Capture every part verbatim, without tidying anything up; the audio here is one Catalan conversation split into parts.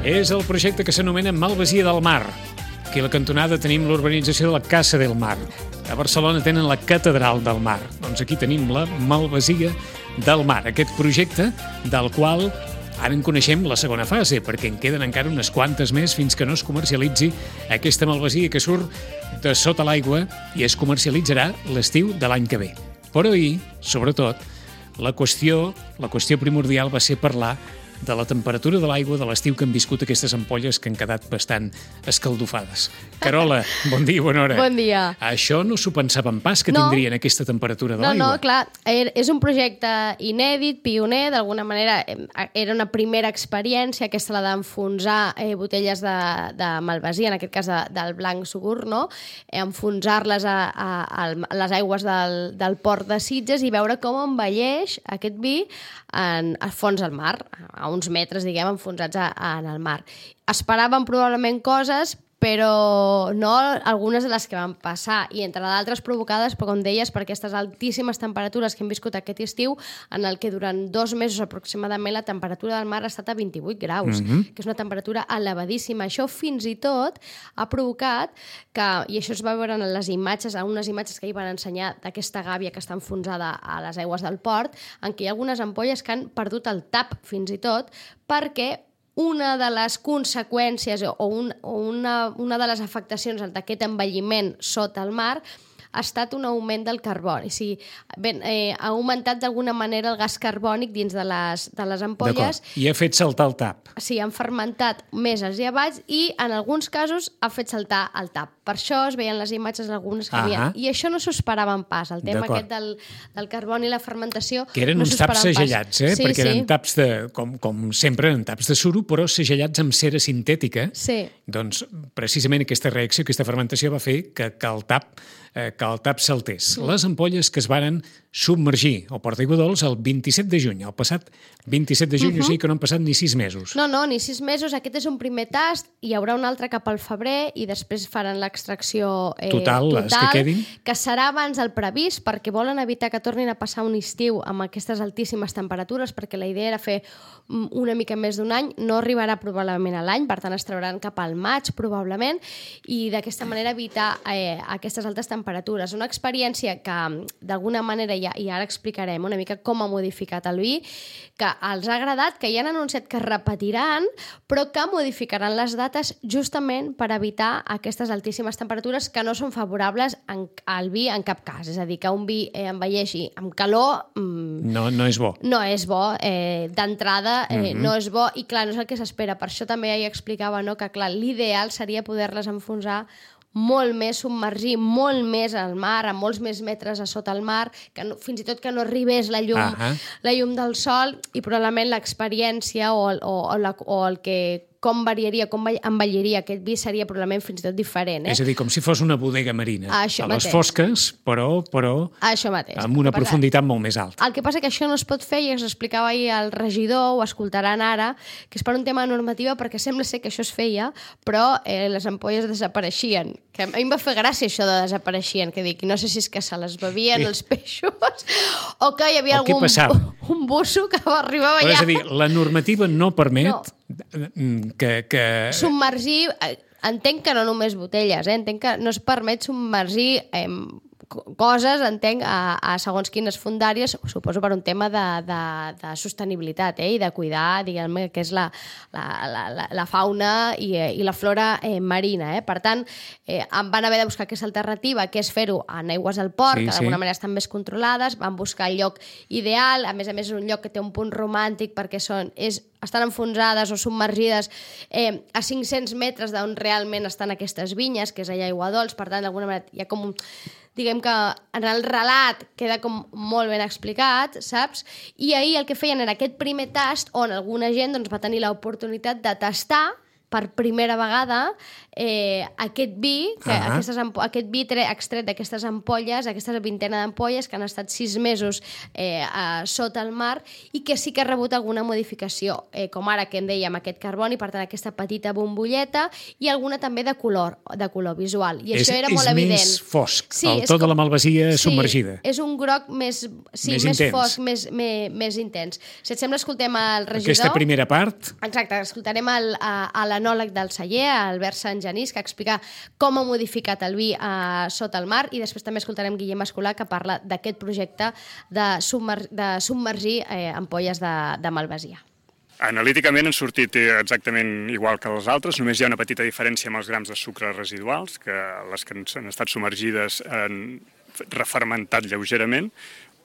És el projecte que s'anomena Malvasia del Mar. Aquí a la cantonada tenim l'urbanització de la Casa del Mar. A Barcelona tenen la Catedral del Mar. Doncs aquí tenim la Malvasia del Mar, aquest projecte del qual ara en coneixem la segona fase, perquè en queden encara unes quantes més fins que no es comercialitzi aquesta malvasia que surt de sota l'aigua i es comercialitzarà l'estiu de l'any que ve. Però ahir, sobretot, la qüestió, la qüestió primordial va ser parlar de la temperatura de l'aigua de l'estiu que han viscut aquestes ampolles que han quedat bastant escaldofades. Carola, bon dia i bona hora. Bon dia. Això no s'ho pensaven pas que no. tindrien aquesta temperatura de no, l'aigua. No, clar, és un projecte inèdit, pioner, d'alguna manera era una primera experiència, aquesta la d'enfonsar eh, botelles de, de malvasia, en aquest cas de, del blanc sugur, no? Enfonsar-les a, a, a les aigües del, del port de Sitges i veure com envelleix aquest vi en, a fons al mar, a uns metres, diguem, enfonsats a, a, en el mar. Esperàvem probablement coses, però no algunes de les que van passar, i entre d'altres provocades, com deies, per aquestes altíssimes temperatures que hem viscut aquest estiu, en el que durant dos mesos aproximadament la temperatura del mar ha estat a vint-i-vuit graus, mm-hmm. que és una temperatura elevadíssima. Això fins i tot ha provocat que, i això es va veure en les imatges, en unes imatges que hi van ensenyar d'aquesta gàbia que està enfonsada a les aigües del port, en què hi ha algunes ampolles que han perdut el tap, fins i tot, perquè una de les conseqüències o, un, o una, una de les afectacions d'aquest envelliment sota el mar ha estat un augment del carboni. O sigui, ben, eh, ha augmentat d'alguna manera el gas carbònic dins de les, de les ampolles. I ha fet saltar el tap. Sí, han fermentat més als i avall i en alguns casos ha fet saltar el tap. Per això es veien les imatges d'algunes que havia. I això no s'ho esperaven pas, el tema aquest del, del carboni i la fermentació. Que eren no uns taps segellats, eh? Sí, perquè sí. eren taps de, com, com sempre, eren taps de suro, però segellats amb cera sintètica. Sí. Doncs precisament aquesta reacció, aquesta fermentació va fer que, que el tap eh, que el tap saltés. Mm. Les ampolles que es varen submergir al Port d'Aiguadols el vint-i-set de juny, el passat vint-i-set de juny, uh-huh. o sigui que no han passat ni sis mesos. No, no, ni sis mesos. Aquest és un primer tast, hi haurà un altre cap al febrer i després faran l'extracció eh, total, total les que quedin. Que serà abans del previst perquè volen evitar que tornin a passar un estiu amb aquestes altíssimes temperatures, perquè la idea era fer una mica més d'un any, no arribarà probablement a l'any, per tant es trauran cap al maig probablement, i d'aquesta manera evitar eh, aquestes altes temperatures. Una experiència que d'alguna manera, ja, i ara explicarem una mica com ha modificat el vi, que els ha agradat, que ja han anunciat que repetiran, però que modificaran les dates justament per evitar aquestes altíssimes temperatures que no són favorables en, al vi en cap cas. És a dir, que un vi eh, envelleixi amb calor... Mm, no, no és bo. No és bo. Eh, D'entrada eh, mm-hmm. no és bo i clar, no és el que s'espera. Per això també ja explicava, no?, que clar, l'ideal seria poder-les enfonsar molt més, submergir molt més al mar, a molts més metres a sota el mar, que no, fins i tot que no arribés la llum, uh-huh. la llum del sol, i probablement l'experiència o, o, o, la, o el que com variaria, com envelliria aquest vi seria probablement fins i tot diferent. Eh? És a dir, com si fos una bodega marina. Això a les mateix. fosques, però, però això mateix. amb una profunditat molt més alta. El que passa que això no es pot fer, i es explicava ahir al regidor, ho escoltaran ara, que és per un tema normativa, perquè sembla ser que això es feia, però eh, les ampolles desapareixien. Que a mi em va fer gràcia això de desapareixien, que dic, no sé si és que se les bevien sí. els peixos, o que hi havia o algun un busso que va arribar allà. Però és a dir, la normativa no permet no. que, que... submergir, entenc que no només botelles, eh? Entenc que no es permet submergir eh, coses, entenc, a, a segons quines fondàries, suposo per un tema de, de, de sostenibilitat, eh? I de cuidar, diguem-ne, que és la, la, la, la fauna i, i la flora eh, marina. Eh? Per tant, eh, van haver de buscar aquesta alternativa, que és fer-ho en aigües del port, sí, que d'alguna sí. manera estan més controlades, van buscar el lloc ideal, a més a més és un lloc que té un punt romàntic perquè són, és, estan enfonsades o submergides eh, a cinc-cents metres d'on realment estan aquestes vinyes, que és allà a Aiguadols, per tant, d'alguna manera hi ha com un... diguem que en el relat queda com molt ben explicat, saps? I ahir el que feien era aquest primer tast on alguna gent doncs, va tenir l'oportunitat de tastar per primera vegada eh, aquest vi, que uh -huh. aquestes aquest vi extret d'aquestes ampolles, aquesta vintena d'ampolles que han estat sis mesos eh, a, sota el mar i que sí que ha rebut alguna modificació, eh, com ara que en dèiem aquest carboni, per tant aquesta petita bombolleta i alguna també de color, de color visual. I és, això era molt evident. És més fosc, sí, el to de la malvasia sí, submergida. És un groc més, sí, més, més intens. fosc, més, més, més intens. Si et sembla, escoltem el regidor. Aquesta primera part. Exacte, escoltarem el, a, a l'anòleg del celler, Albert Sant Genís, que explica com ha modificat el vi a, sota el mar, i després també escoltarem Guillem Escolà, que parla d'aquest projecte de, submer, de submergir eh, ampolles de, de malvasia. Analíticament han sortit exactament igual que les altres, només hi ha una petita diferència amb els grams de sucre residuals, que les que han estat submergides han refermentat lleugerament,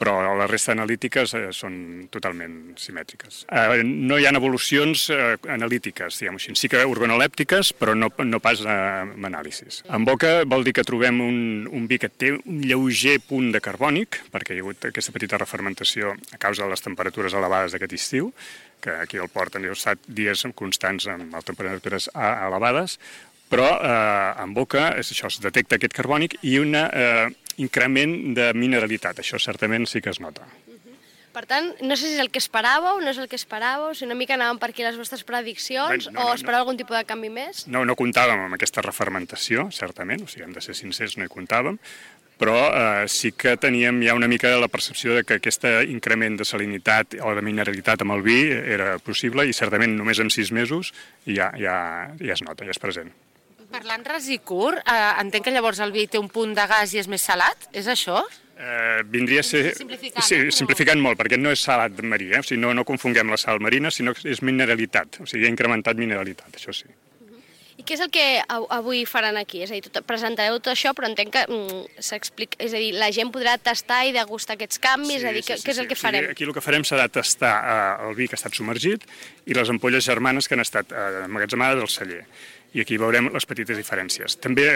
però les restes analítiques eh, són totalment simètriques. Eh, no hi ha evolucions eh, analítiques, diguem així. Sí que organolèptiques, però no, no pas eh, amb anàlisis. En boca vol dir que trobem un, un vi que té un lleuger punt de carbònic, perquè hi ha hagut aquesta petita refermentació a causa de les temperatures elevades d'aquest estiu, que aquí al port han estat dies constants amb temperatures elevades, però eh, en boca és això, es detecta aquest carbònic i un eh, increment de mineralitat. Això certament sí que es nota. Per tant, no sé si és el que esperàveu, no és el que esperàveu, si una mica anàvem per aquí les vostres prediccions, Bé, no, o esperàveu no, algun tipus de canvi més? No, no comptàvem amb aquesta refermentació, certament, o sigui, hem de ser sincers, no hi comptàvem, però eh, sí que teníem ja una mica la percepció de que aquest increment de salinitat o de mineralitat amb el vi era possible i certament només en sis mesos ja, ja, ja es nota, ja és present. Parlant ras i curt, eh, entenc que llavors el vi té un punt de gas i és més salat, és això? Eh, vindria a ser... Simplificant, sí, no? simplificant molt, perquè no és salat marí, eh? O sigui, no, no confonguem la sal marina, sinó que és mineralitat, o sigui, ha incrementat mineralitat, això sí. I què és el que avui faran aquí? És a dir, tot, presentareu tot això, però entenc que mm, s'explica... És a dir, la gent podrà tastar i degustar aquests canvis, sí, és a dir, sí, sí, què és el que sí, farem? Sí, aquí el que farem serà tastar eh, el vi que ha estat submergit i les ampolles germanes que han estat eh, emmagatzemades al celler. I aquí veurem les petites diferències. També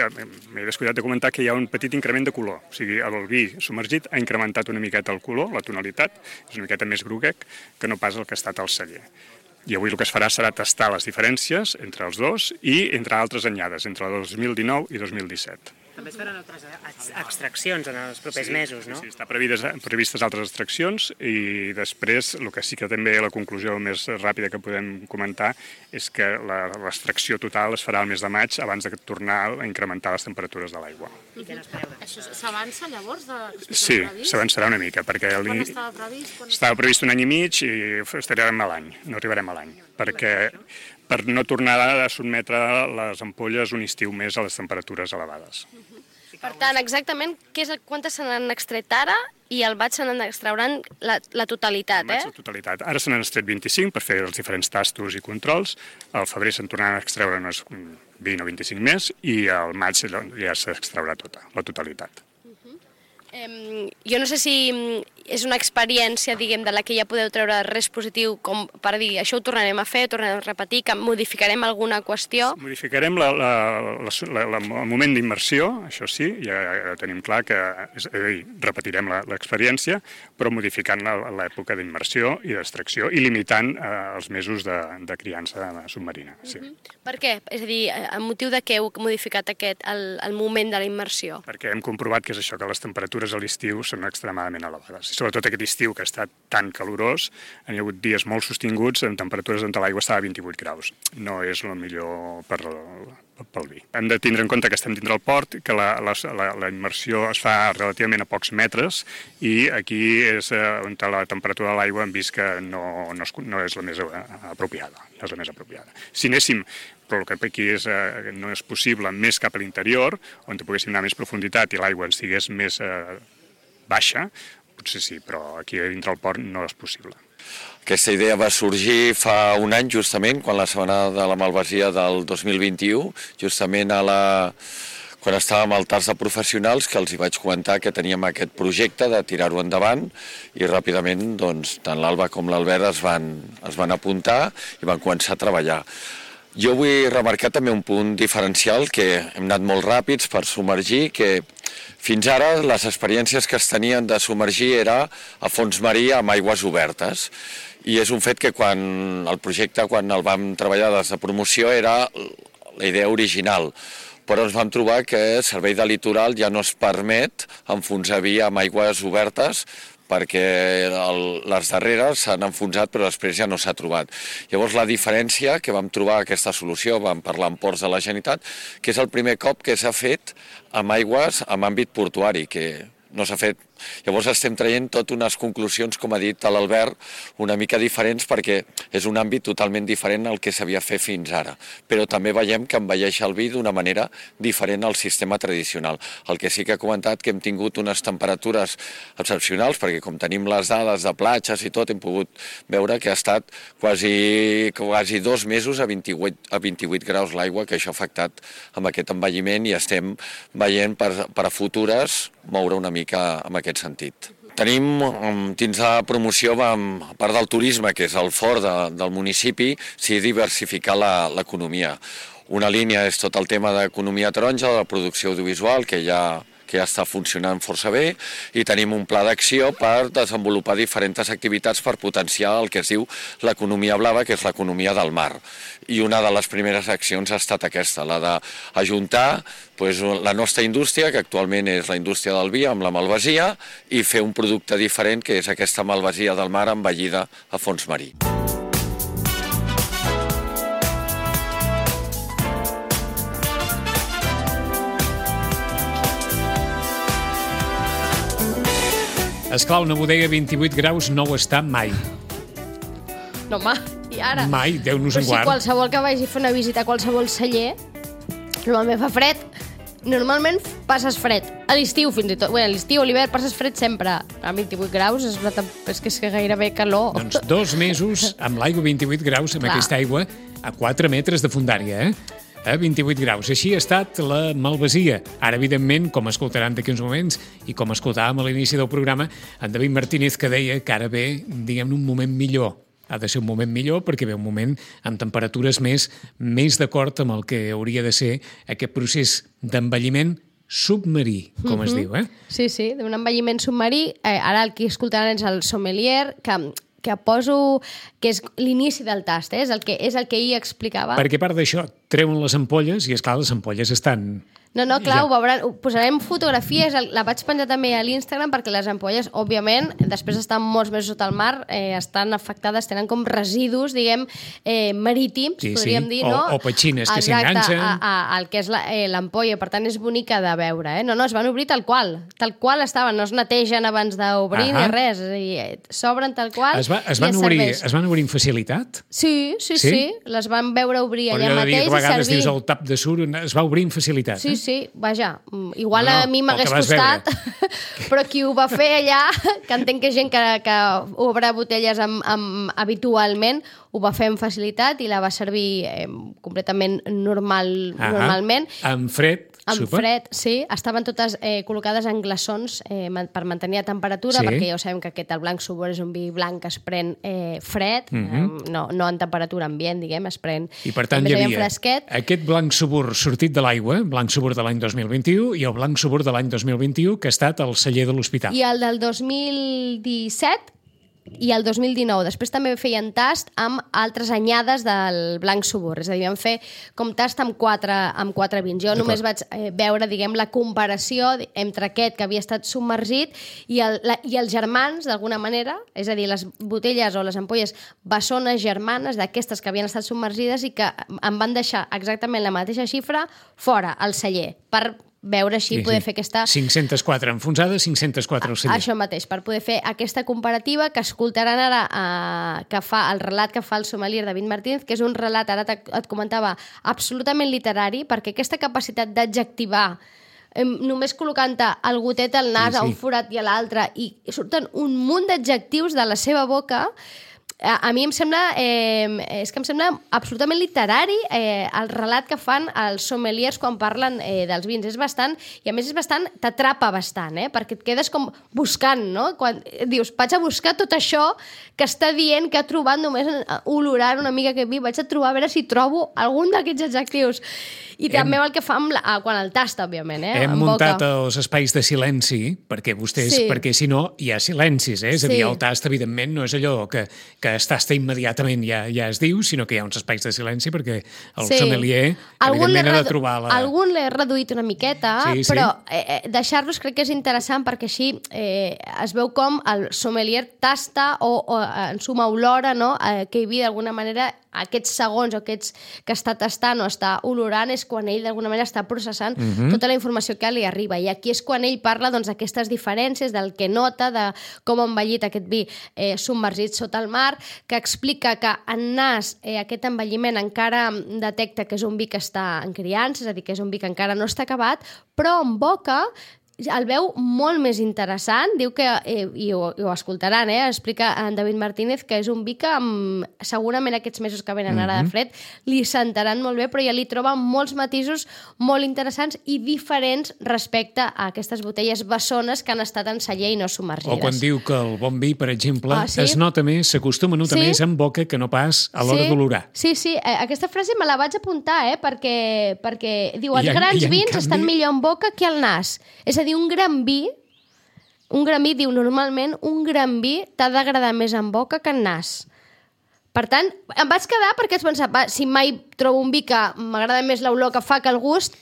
m'he descuidat de comentar que hi ha un petit increment de color. O sigui, el vi submergit ha incrementat una miqueta el color, la tonalitat, és una miqueta més groguec que no pas el que ha estat al celler. I avui el que es farà serà tastar les diferències entre els dos i entre altres anyades, entre el dos mil dinou i dos mil disset. També es faran altres extraccions en els propers sí, mesos, no? Sí, sí, està previstes, previstes altres extraccions i després el que sí que també la conclusió més ràpida que podem comentar és que l'extracció total es farà el mes de maig abans de tornar a incrementar les temperatures de l'aigua. I què n'espereu d'això? S'avança llavors? De... Sí, s'avançarà una mica, perquè... Quan estava previst? Quan... Estava previst un any i mig i estarem a l'any, no arribarem a l'any, perquè per no tornar a sotmetre les ampolles un estiu més a les temperatures elevades. Per tant, exactament, què és el, quantes se n'han extret ara i al maig se n'extrauran la, la totalitat, eh? La totalitat. Ara se n'han extret vint-i-cinc per fer els diferents tastos i controls, al febrer se'n tornaran a extreure unes vint o vint-i-cinc més i al maig ja s'extraurà tota, la totalitat. Eh, jo no sé si és una experiència, diguem, de la que ja podeu treure res positiu, com per dir, això ho tornarem a fer, ho tornarem a repetir, que modificarem alguna qüestió. Modificarem la, la, la, la, la, el moment d'immersió, això sí, ja, ja tenim clar que és, és a dir, repetirem l'experiència, però modificant l'època d'immersió i d'extracció i limitant eh, els mesos de, de criança submarina. Sí. Uh-huh. Per què? És a dir, a motiu de què heu modificat aquest, el, el moment de la immersió? Perquè hem comprovat que és això, que les temperatures a l'estiu són extremadament elevades. I sobretot aquest estiu, que ha estat tan calorós, hi ha hagut dies molt sostinguts amb temperatures on l'aigua estava a vint-i-vuit graus. No és el millor per, pel vi. Hem de tindre en compte que estem dintre el port, que la, la, la, la immersió es fa relativament a pocs metres i aquí és on la temperatura de l'aigua hem vist que no, no, és, no és la més apropiada. No és la més apropiada. Si anéssim, però el que aquí és, eh, no és possible, més cap a l'interior, on poguéssim anar a més profunditat i l'aigua ens estigués més eh, baixa, potser sí, però aquí dintre el port no és possible. Aquesta idea va sorgir fa un any, justament, quan la setmana de la Malvasia del dos mil vint-i-u, justament a la... quan estàvem al Tars de Professionals, que els hi vaig comentar que teníem aquest projecte de tirar-ho endavant i ràpidament doncs, tant l'Alba com l'Albert es van, es van apuntar i van començar a treballar. Jo vull remarcar també un punt diferencial, que hem anat molt ràpids per submergir, que fins ara les experiències que es tenien de submergir era a fons marí amb aigües obertes. I és un fet que quan el projecte, quan el vam treballar des de promoció, era la idea original. Però ens vam trobar que el servei de litoral ja no es permet enfonsar vi amb aigües obertes, perquè el, les darreres s'han enfonsat però després ja no s'ha trobat. Llavors la diferència que vam trobar aquesta solució, vam parlar amb Ports de la Generalitat, que és el primer cop que s'ha fet amb aigües en àmbit portuari, que no s'ha fet. Llavors estem traient tot unes conclusions, com ha dit l'Albert, una mica diferents perquè és un àmbit totalment diferent al que s'havia fet fins ara. Però també veiem que envelleix el vi d'una manera diferent al sistema tradicional. El que sí que he comentat que hem tingut unes temperatures excepcionals, perquè com tenim les dades de platges i tot, hem pogut veure que ha estat quasi, quasi dos mesos a vint-i-vuit, a vint-i-vuit graus l'aigua, que això ha afectat amb aquest envelliment i estem veient per, per a futures moure una mica en aquest sentit. Tenim, dins de la promoció, a part del turisme, que és el fort de, del municipi, sí diversificar l'economia. Una línia és tot el tema d'economia taronja, de la producció audiovisual, que ja que ja està funcionant força bé, i tenim un pla d'acció per desenvolupar diferents activitats per potenciar el que es diu l'economia blava, que és l'economia del mar. I una de les primeres accions ha estat aquesta, la d'ajuntar pues, la nostra indústria, que actualment és la indústria del vi, amb la malvasia, i fer un producte diferent, que és aquesta malvasia del mar envellida a fons marí. Esclar, una bodega a vint-i-vuit graus no ho està mai. No, home, i ara? Mai, Déu-nos en Però si guard. qualsevol que vagi a fer una visita a qualsevol celler, normalment fa fred, normalment passes fred. A l'estiu, fins i tot. Bé, a l'estiu, a l'hivern, passes fred sempre. A vint-i-vuit graus és, una, és que és gairebé calor. Doncs dos mesos amb l'aigua a vint-i-vuit graus, amb Clar. aquesta aigua, a quatre metres de fundària, eh? A vint-i-vuit graus. Així ha estat la malvasia. Ara, evidentment, com escoltaran d'aquí uns moments, i com escoltàvem a l'inici del programa, en David Martínez, que deia que ara ve, diguem-ne, un moment millor. Ha de ser un moment millor perquè ve un moment amb temperatures més, més d'acord amb el que hauria de ser aquest procés d'envelliment submarí, com mm-hmm. es diu, eh? Sí, sí, d'un envelliment submarí. Eh, ara el que escoltaran és el sommelier, que que poso, que és l'inici del tast, eh? és, el que, és el que ell explicava. Perquè a part d'això, treuen les ampolles i, esclar, les ampolles estan... No, no, clar, ja. ho veuran, ho posarem fotografies, la vaig penjar també a l'Instagram perquè les ampolles, òbviament, després d'estar molts mesos sota el mar, eh, estan afectades, tenen com residus, diguem, eh, marítims, sí, podríem sí. dir, o, no? O petxines que s'enganxen. s'enganxen. Exacte, al que és l'ampolla, per tant és bonica de veure, eh? No, no, es van obrir tal qual, tal qual estaven, no es netegen abans d'obrir ni res, és a dir, s'obren tal qual es va, es i van es obrir, serveix. Es van obrir amb facilitat? Sí, sí, sí, sí, les van veure obrir Però allà mateix i servir. Però a vegades dius el tap de sur, es va obrir amb facilitat. Sí, eh? sí, vaja, igual no, no, a mi m'hagués costat, però qui ho va fer allà, que entenc que gent que, que obre botelles amb, amb, habitualment, ho va fer amb facilitat i la va servir eh, completament normal, ah, normalment. Amb fred, Amb super. fred, sí. Estaven totes eh, col·locades en glaçons eh, per mantenir la temperatura, sí. perquè ja ho sabem que aquest, el blanc subur, és un vi blanc que es pren eh, fred, uh -huh. eh, no, no en temperatura ambient, diguem, es pren I per tant hi havia fresquet. Aquest blanc subur sortit de l'aigua, blanc subur de l'any dos mil vint-i-u, i el blanc subur de l'any dos mil vint-i-u, que ha estat el celler de l'hospital. I el del dos mil disset i el dos mil dinou. Després també feien tast amb altres anyades del blanc subur. És a dir, vam fer com tast amb quatre, amb quatre vins. Jo només vaig eh, veure, diguem, la comparació entre aquest que havia estat submergit i, el, la, i els germans, d'alguna manera, és a dir, les botelles o les ampolles bessones germanes d'aquestes que havien estat submergides i que em van deixar exactament la mateixa xifra fora, al celler, per veure així, sí, poder sí. fer aquesta... cinc-cents quatre enfonsades, cinc-cents quatre al celler. Això mateix, per poder fer aquesta comparativa que escoltaran ara, eh, que fa el relat que fa el sommelier David Martínez, que és un relat, ara et comentava, absolutament literari, perquè aquesta capacitat d'adjectivar eh, només col·locant-te el gotet al nas, sí, sí. a un forat i a l'altre, i surten un munt d'adjectius de la seva boca a, a mi em sembla, eh, és que em sembla absolutament literari eh, el relat que fan els sommeliers quan parlen eh, dels vins. És bastant, i a més és bastant, t'atrapa bastant, eh, perquè et quedes com buscant, no? Quan dius, vaig a buscar tot això que està dient, que ha trobat només olorant una mica aquest vi, vaig a trobar a veure si trobo algun d'aquests adjectius. I també hem, el que fa amb la, quan el tasta, òbviament, eh? Hem muntat els espais de silenci, perquè vostès, sí. perquè si no hi ha silencis, eh? És a dir, sí. el tast, evidentment, no és allò que, que es tasta immediatament, ja, ja es diu, sinó que hi ha uns espais de silenci perquè el sí. sommelier, algun evidentment, ha de trobar la... Algun l'he reduït una miqueta, sí, però sí. Eh, deixar-los crec que és interessant perquè així eh, es veu com el sommelier tasta o, o en suma olora, no? Eh, que hi havia d'alguna manera aquests segons o aquests que està tastant o està olorant és quan ell d'alguna manera està processant uh-huh. tota la informació que li arriba. I aquí és quan ell parla doncs, d'aquestes diferències, del que nota, de com ha envellit aquest vi eh, submergit sota el mar, que explica que en nas eh, aquest envelliment encara detecta que és un vi que està en criança, és a dir, que és un vi que encara no està acabat, però en boca el veu molt més interessant, diu que, eh, i, ho, i ho escoltaran, eh, explica en David Martínez que és un vi que um, segurament aquests mesos que venen ara de fred li sentaran molt bé, però ja li troba molts matisos molt interessants i diferents respecte a aquestes botelles bessones que han estat en celler i no submergides. O quan diu que el bon vi, per exemple, ah, sí? es nota més, s'acostuma a notar sí? més en boca que no pas a l'hora sí? d'olorar. Sí, sí, eh, aquesta frase me la vaig apuntar, eh, perquè, perquè diu, els grans i en vins canvi... estan millor en boca que al nas. És a dir, un gran vi, un gran vi, diu normalment, un gran vi t'ha d'agradar més en boca que en nas. Per tant, em vaig quedar perquè vaig pensar, va, si mai trobo un vi que m'agrada més l'olor que fa que el gust...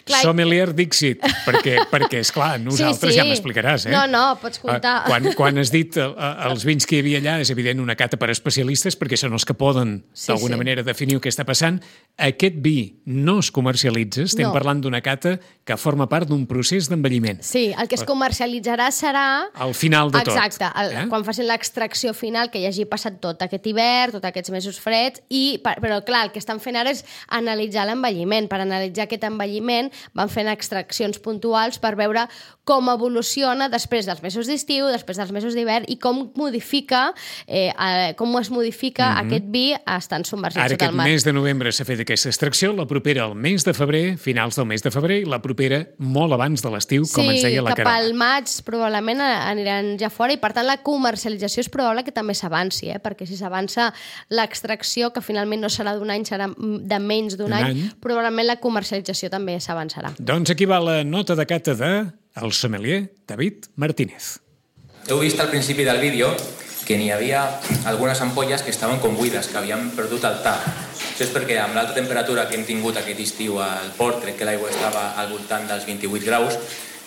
Clar, sommelier Dixit, perquè, perquè esclar, nosaltres sí, sí. ja m'explicaràs, eh? No, no, pots comptar. Quan, quan has dit el, els vins que hi havia allà, és evident una cata per especialistes, perquè són els que poden, sí, d'alguna sí. manera, definir el que està passant. Aquest vi no es comercialitza, estem no. parlant d'una cata que forma part d'un procés d'envelliment. Sí, el que es comercialitzarà serà... Al final de tot. Exacte, el, eh? quan facin l'extracció final, que hi hagi passat tot aquest hivern, tots aquests mesos freds, i, però clar, el que estan fent ara és analitzar l'envelliment. Per analitzar aquest envelliment van fent extraccions puntuals per veure com evoluciona després dels mesos d'estiu, després dels mesos d'hivern i com modifica, eh, com es modifica mm-hmm. aquest vi estant submergit Ara, sota el mar. Ara aquest mes de novembre s'ha fet aquesta extracció, la propera al mes de febrer, finals del mes de febrer, i la propera molt abans de l'estiu, com sí, ens deia la Carola. Sí, cap al maig probablement aniran ja fora i per tant la comercialització és probable que també s'avanci, eh? perquè si s'avança l'extracció, que finalment no serà d'un any, serà de menys d'un any, any, probablement la comercialització també s'avançarà. Doncs aquí va la nota de cata de el sommelier David Martínez. Heu vist al principi del vídeo que n'hi havia algunes ampolles que estaven com buides, que havien perdut el tap. Això és perquè amb l'alta temperatura que hem tingut aquest estiu al port, crec que l'aigua estava al voltant dels vint-i-vuit graus,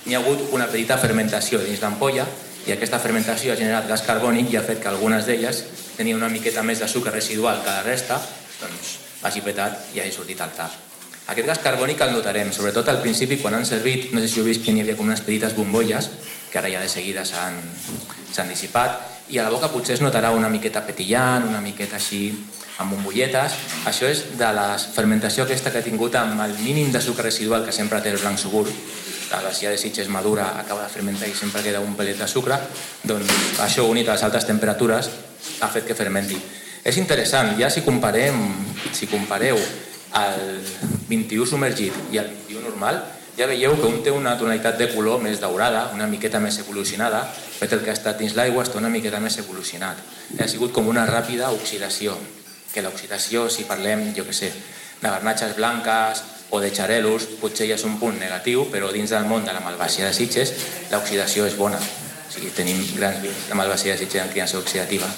n'hi ha hagut una petita fermentació dins l'ampolla i aquesta fermentació ha generat gas carbònic i ha fet que algunes d'elles tenien una miqueta més de sucre residual que la resta, doncs hagi petat i hagi sortit el tap. Aquest gas carbònic el notarem, sobretot al principi quan han servit, no sé si heu vist que n'hi havia com unes petites bombolles, que ara ja de seguida s'han dissipat, i a la boca potser es notarà una miqueta petillant, una miqueta així amb bombolletes. Això és de la fermentació aquesta que ha tingut amb el mínim de sucre residual que sempre té el blanc segur. La versió de Sitges madura acaba de fermentar i sempre queda un pelet de sucre, doncs això unit a les altes temperatures ha fet que fermenti. És interessant, ja si comparem, si compareu el vint-i-u submergit i el vint-i-u normal, ja veieu que un té una tonalitat de color més daurada, una miqueta més evolucionada, fet el que ha estat dins l'aigua està una miqueta més evolucionat. Ha sigut com una ràpida oxidació, que l'oxidació, si parlem, jo què sé, de garnatxes blanques o de xarelos, potser ja és un punt negatiu, però dins del món de la malvasia de Sitges, l'oxidació és bona. O sigui, tenim grans vins de malvasia de Sitges en criança oxidativa.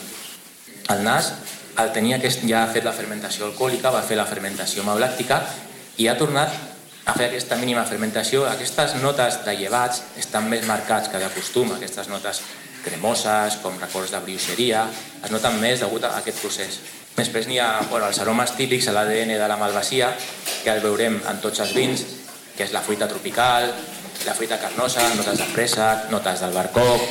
El nas el tenia que ja ha fet la fermentació alcohòlica, va fer la fermentació malolàctica i ha tornat a fer aquesta mínima fermentació. Aquestes notes de llevats estan més marcats que de costum, aquestes notes cremoses, com records de brioixeria, es noten més degut a aquest procés. Després n'hi ha bueno, els aromes típics, l'A D N de la malvasia, que el veurem en tots els vins, que és la fruita tropical, la fruita carnosa, notes de préssec, notes d'albercoc.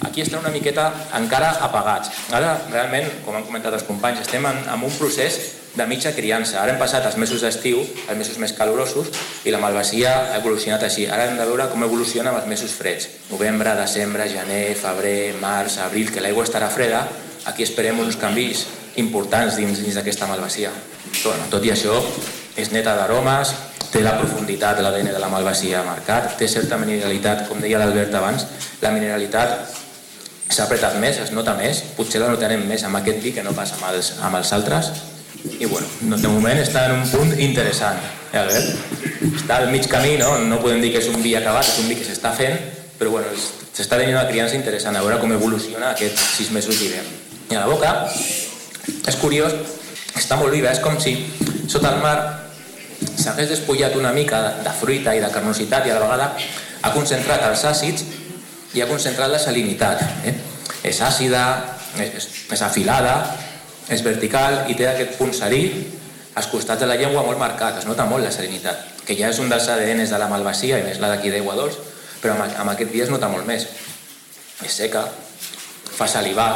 Aquí estan una miqueta encara apagats. Ara, realment, com han comentat els companys, estem en, en un procés de mitja criança. Ara hem passat els mesos d'estiu, els mesos més calorosos, i la malvasia ha evolucionat així. Ara hem de veure com evoluciona amb els mesos freds. Novembre, desembre, gener, febrer, març, abril, que l'aigua estarà freda, aquí esperem uns canvis importants dins, dins d'aquesta malvasia. Bueno, tot i això, és neta d'aromes, té la profunditat de l'A D N de la malvasia marcat, té certa mineralitat, com deia l'Albert abans, la mineralitat s'ha apretat més, es nota més, potser la notarem més amb aquest vi que no passa amb els, amb els altres, i bueno, de moment està en un punt interessant. Eh, Albert? Està al mig camí, no? No podem dir que és un vi acabat, és un vi que s'està fent, però bueno, s'està tenint una criança interessant, a veure com evoluciona aquests sis mesos d'hivern. I a la boca, és curiós, està molt viva, és com si sota el mar s'hagués despullat una mica de fruita i de carnositat i a la vegada ha concentrat els àcids i ha concentrat la salinitat. Eh? És àcida, és, és afilada, és vertical i té aquest punt sarí als costats de la llengua molt marcat, es nota molt la salinitat, que ja és un dels A D Ns de la malvasia i més la d'aquí d'Aigua Dols, però amb, amb aquest vi es nota molt més. És seca, fa salivar,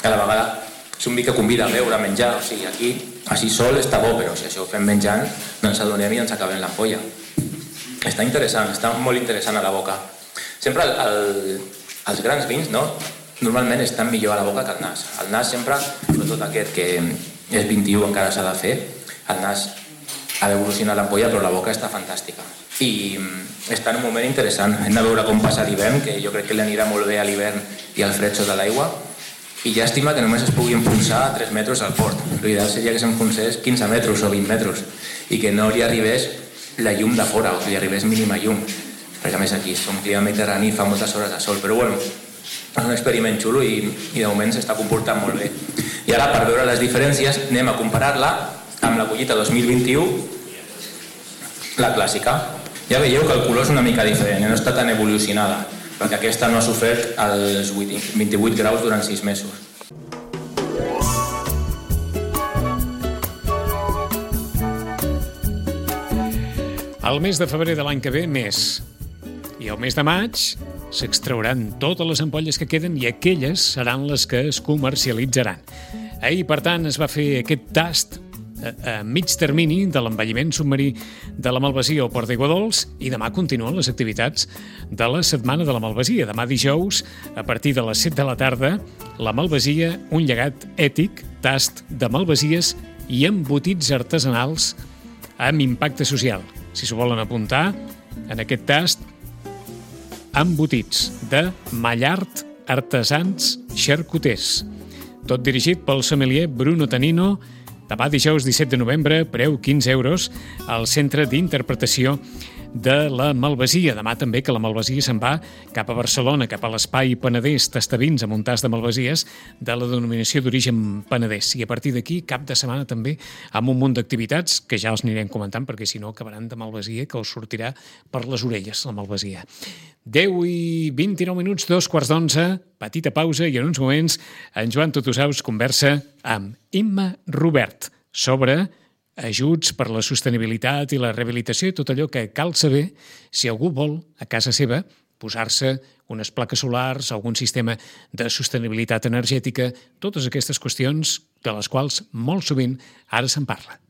a la vegada és un vi que convida a beure, a menjar, o sigui, aquí, així sol està bo, però si això ho fem menjant, no ens adonem i ens acabem l'ampolla. Està interessant, està molt interessant a la boca. Sempre el, el, els grans vins, no?, normalment estan millor a la boca que el nas. El nas sempre, sobretot aquest que és vint-i-u encara s'ha de fer, el nas ha d'evolucionar l'ampolla, però la boca està fantàstica. I està en un moment interessant. Hem de veure com passa l'hivern, que jo crec que li anirà molt bé a l'hivern i al fred sota l'aigua. I llàstima que només es pugui enfonsar a tres metres al port. L'ideal seria que s'enfonsés quinze metres o vint metres i que no li arribés la llum de fora o que li arribés mínima llum. Perquè a més aquí som clima mediterrani i fa moltes hores de sol. Però bueno, és un experiment xulo i, i de moment s'està comportant molt bé. I ara, per veure les diferències, anem a comparar-la amb la collita dos mil vint-i-u, la clàssica. Ja veieu que el color és una mica diferent, no està tan evolucionada, perquè aquesta no ha sofert els vint-i-vuit graus durant sis mesos. El mes de febrer de l'any que ve, més. I el mes de maig s'extrauran totes les ampolles que queden i aquelles seran les que es comercialitzaran. Ahir, per tant, es va fer aquest tast a, a mig termini de l'envelliment submarí de la Malvasia al Port d'Aigua Dols i demà continuen les activitats de la Setmana de la Malvasia. Demà dijous, a partir de les set de la tarda, la Malvasia, un llegat ètic, tast de malvasies i embotits artesanals amb impacte social. Si s'ho volen apuntar, en aquest tast, embotits de Mallart Artesans Xarcuters. Tot dirigit pel sommelier Bruno Tanino. Demà dijous disset de novembre, preu quinze euros, al Centre d'Interpretació de la Malvasia. Demà també que la Malvasia se'n va cap a Barcelona, cap a l'Espai Penedès, Tastavins, amb un tast de malvasies de la denominació d'origen penedès. I a partir d'aquí, cap de setmana també, amb un munt d'activitats que ja els anirem comentant, perquè si no acabaran de malvasia, que us sortirà per les orelles, la malvasia. deu i vint-i-nou minuts, dos quarts d'onze, petita pausa i en uns moments en Joan Totosaus conversa amb Imma Robert sobre ajuts per la sostenibilitat i la rehabilitació i tot allò que cal saber si algú vol a casa seva posar-se unes plaques solars, algun sistema de sostenibilitat energètica, totes aquestes qüestions de les quals molt sovint ara se'n parla.